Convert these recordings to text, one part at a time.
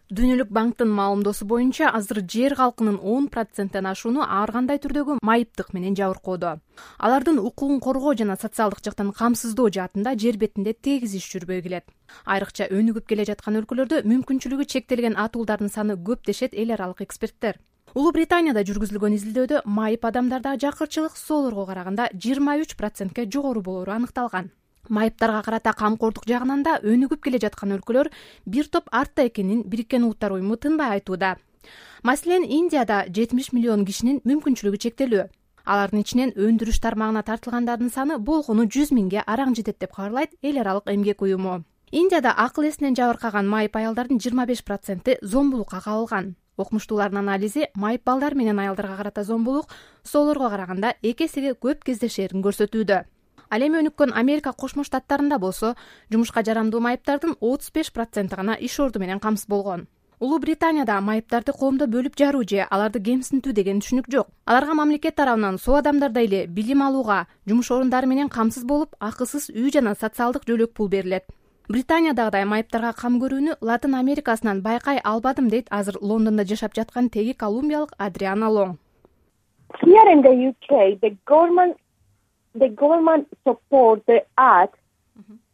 Дүйнөлүк банктын маалымдоосу боюнча азыр жер калкынын 10%-тен ашууну ар кандай түрдөгү майыптык менен жабыркоодо. Алардын укугун коргоо жана социалдык жактан камсыздоо жаатында жер бетинде тегиз иш жүрбөй келет. Айрыкча өнүгүп келе жаткан өлкөлөрдө мүмкүнчүлүгү чектелген атуулдардын саны көп дешет эл аралык эксперттер. Улуу Британияда жүргүзүлгөн изилдөөдө майып адамдарда жакырчылык соолорго караганда 23%ке жогору болору аныкталган. Майыптарга карата камкордук жагынан да өнүгүп келе жаткан өлкөлөр бир топ артта экенин Бириккен Улуттар уюму тынбай айтууда. Маселен, Индияда 70 миллион кишинин мүмкүнчүлүгү чектелүү. Алардын ичинен өндүрүш тармагына тартылгандардын саны болгону 100 миңге араң жетет деп кабарлайт эл аралык эмгек уюму. Индияда акыл эсинен жабыркаган майып аялдардын 25%-и зомбулукка кабылган. Окумуштуулардын анализи майып балдар менен аялдарга карата зомбулук соолорго караганда 2 эсеге көп кездешерин көрсөтүүдө. Ал эми өнүккөн Америка Кошмо Штаттарында болсо, жумушка жарамдуу майыптардын 35% гана иш орду менен камсыз болгон. Улуу Британияда майыптарды коомдо бөлүп жаруу же аларды кемсинтүү деген түшүнүк жок. Аларга мамлекет тарабынан соо адамдардай эле билим алууга, жумуш орундары менен камсыз болуп, акысыз үй жана социалдык жөлөк пул берилет. Британиядагыдай майыптарга кам көрүүнү Латын Америкасынан байкай албадым дейт азыр Лондондо жашап жаткан теги колумбиялык Адриана Лонг. Here in the UK, the government support the act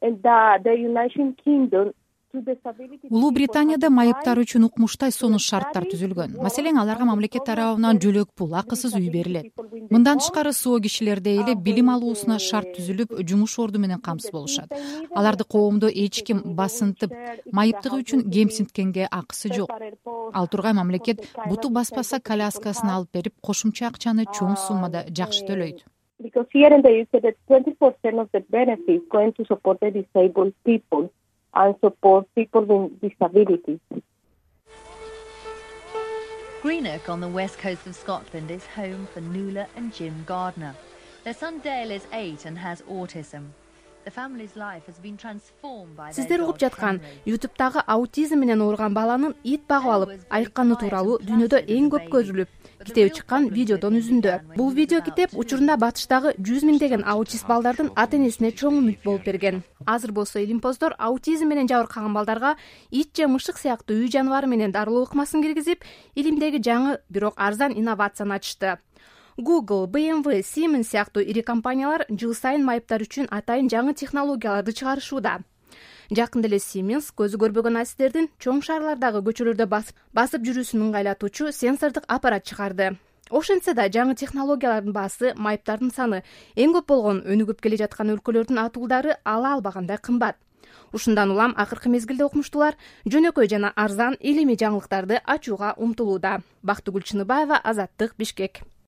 and the United Kingdom. Улуу Британияда майыптар үчүн укмуштай сонуш шарттар түзүлгөн. Маселен, аларга мамлекет тарабынан жөлөк пул, акысыз үй берилет. Мындан тышкары соо кишилердей эле билим алуусуна шарт түзүлүп, жумуш орду менен камсыз болушат. Аларды коомдо эч ким басынтып, майыптыгы үчүн кемсинткенге акысы жок. Ал тургай мамлекет буту баспаса коляскасын алып берип, кошумча акчаны чоң суммада жакшы төлөйт. Because here in the UK, the 20% of the benefits going to support the disabled people and support people with disabilities. Greenock on the west coast of Scotland is home for Nuala and Jim Gardner. Their son Dale is 8 and has autism. The family's life has been transformed by their Сиздер dog угуп жаткан Henry. YouTube'тагы аутизм менен ооруган баланын ит багып алып, айыкканы тууралуу дүйнөдө эң көп көрүлүп, китеби чыккан видеодон үзүндү. Бул видео китеп учурунда батыштагы 100 миңдеген аутист балдардын ата-энесине чоң үмүт болуп берген. Азыр болсо илимпоздор аутизм менен жабыркаган балдарга ит же мышык сыяктуу үй жаныбары менен дарылоо ыкмасын киргизип, илимдеги жаңы, бирок арзан инновацияны ачты. Google, BMW, Siemens сыяктуу ири компаниялар жыл сайын майыптар үчүн атайын жаңы технологияларды чыгарышууда. Жакында эле Siemens көзү көрбөгөн асистердин чоң шаарлардагы көчөлөрдө басып жүрүүсүн ыңгайлатуучу сенсордук аппарат чыгарды. Ошентсе да жаңы технологиялардын баасы майыптардын саны эң көп болгон өнүгүп келе жаткан өлкөлөрдүн атуулдары ала албагандай кымбат. Ушундан улам акыркы мезгилде окумуштуулар жөнөкөй жана арзан илимий жаңылыктарды ачууга умтулууда. Бактыгүл Чыныбаева, Азаттык, Бишкек.